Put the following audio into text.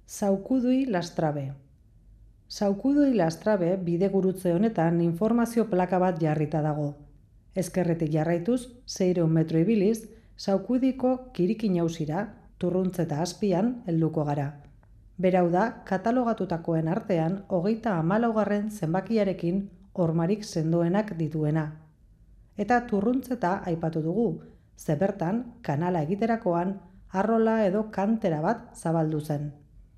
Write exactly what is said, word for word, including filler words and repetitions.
Saukudui Lastrabe. Saukudui Lastrabe bidegurutze honetan informazio plaka bat jarrita dago. Ezkerretik jarraituz, seiehun metro ibiliz, Saukudiko Kirikin Auzira, Turruntzeta azpian helduko gara. Berau da, katalogatutakoen artean hogeita hamalaugarren zenbakiarekin hormarik sendoenak dituena. Eta Turruntzeta aipatu dugu, ze bertan kanala egiterakoan arrola edo kantera bat zabaldu zen.